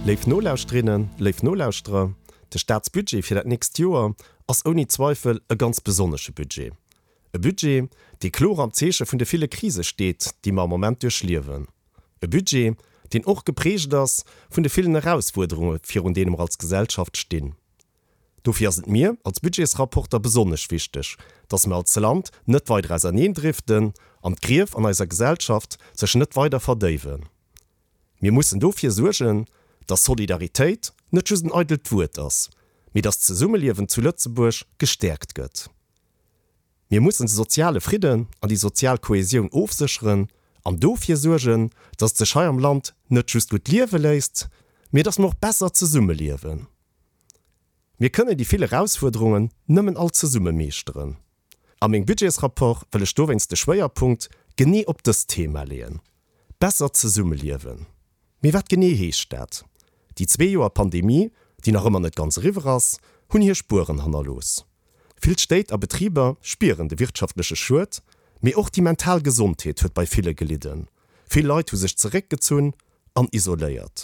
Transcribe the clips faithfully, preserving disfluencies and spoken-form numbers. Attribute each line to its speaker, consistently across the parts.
Speaker 1: Léif Nolauschterinnen, léif Nolauschterer, de Staatsbudget fir dat nächst Joer ass ouni Zweifel e ganz besonnesche Budget. E Budget, dee kloer am Zeeche vun de ville Krise steet, déi mer am Moment duerchliewen. E Budget, deen och geprägt ass vun de villen Erausfuerderunge virun deene mer als Gesellschaft stinn. Dofir ass et mir als Budgetsrapporter besonnesch wichteg, dass mer als Land net weider auserneendriften an d'Grief an eiser Gesellschaft sech net weider verdéiwen. Mir mussen dofir suergen, dass Solidaritéit net just en eidelt Wuert ass, mee dass d'Zesummeliewen zu Lëtzebuerg gestäerkt gëtt. Mir mussen de soziale Fridden an déi sozial Kohäsioun ofsécheren an dofir suergen, dass et sech hei am Land net just gutt liewe léisst, mee dass mer och besser zesummeliewen. Mir kënnen déi vill Erausfuerderungen nëmmen all zesumme meeschteren. A mengem Budgetsrapport wëll ech dowéinst de Schwéierpunkt genee op dëst Thema leeën, Besser zesummeliewen. Mee wat genee heescht dat? Déi zwee Joer Pandemie, déi nach ëmmer net ganz eriwwer ass, hunn hir Spueren hannerlooss. Vill Stéit a Betriber spieren de wirtschaftleche Schued, mee och déi mental Gesondheet huet bei ville gelidden. Vill Leit hu sech zeréckgezunn an isoléiert.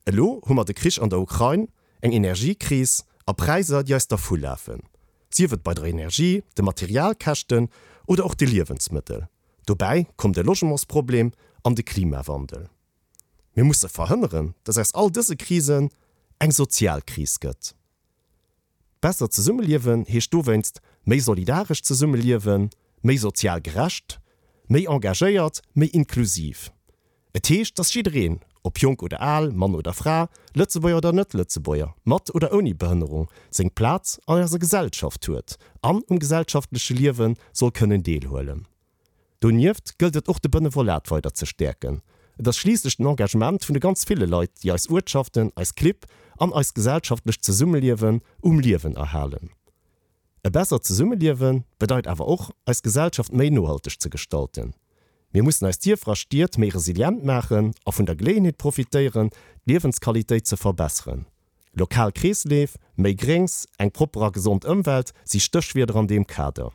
Speaker 1: Elo hu mer de Krich an der Ukrain, eng Energiekris a Präisser, déi eis dervulafen, sief et bei der Energie, de Materialkäschten oder och de Liewensmëttel. Dobäi komm de Logementsproblem an de Klimawandel. Mir musse verhënneren, dass aus all dëse Krisen eng sozial Kris gëtt. Besser zesummeliewen heescht dowéinst méi solidaresch zesummeliewen, méi sozial gerecht, méi engagéiert, méi inklusiv. Et heescht, dass jiddereen, ob jonk oder al, Mann oder Fra, Lëtzebuerger oder Net-Lëtzebuerger, mat oder ouni Behënnerung, seng Plaz an eiser Gesellschaft huet an um gesellschaftleche Liewe soll kënnen deelhuelen. Donieft gëllt et och de Benevolat weider ze stäerken. Et ass schliisslech den Engagement vun de ganz ville Leit, déi eis Uertschaften, eis Clibb an eist gesellschaftlecht Zesummeliewen um Liewen erhalen. E bessert Zesummeliewe bedeit awer och, eis Gesellschaft méi nohalteg ze gestalten. Mir mussen eis Dierfer a Stied méi resilient maachen a vun der Geleeënheet profitéieren, d'Liewensqualitéit ze verbesseren. Lokal Kreesleef, méi Gréngs, eng propper a gesond Ëmwelt si Stéchwierder an deem Kader.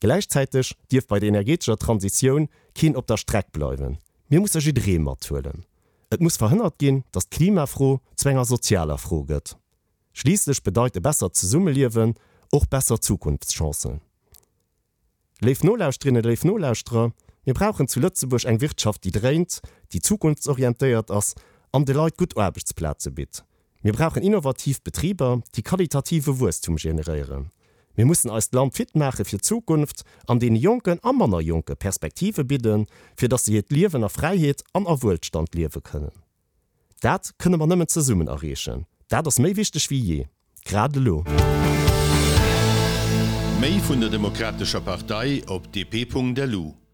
Speaker 1: Gläichzäiteg dierf bei der energetescher Transitioun keen op der Streck bleiwen. Mir musse jidderee mathuelen. Et muss verhënnert ginn, datt d'Klimafro zu enger sozialer Fro gëtt. Schliisslech bedeit e bessert Zesummeliewen och besser Zukunftschancen. Léif Nolauschterinnen, léif Nolauschterer, mir brauchen zu Lëtzebuerg eng Wirtschaft, déi dréint, déi zukunftsorientéiert ass an de Leit gutt Aarbechtsplaze bitt. Mir brauchen innovativ Betriber, déi qualitative Wuesstum generéieren. Mir mussen eist Land fit maache fir d'Zukunft an deene Jonken a manner Jonke Perspektive bidden, fir datt se hiert Liewen a Fräiheet an a Wuelstand liewe kënnen. Dat kënne mer nëmmen zesummen erreechen. Dat ass méi wichteg wéi jee, grad elo.
Speaker 2: Méi vun der Demokratescher Partei op D P Punkt L U.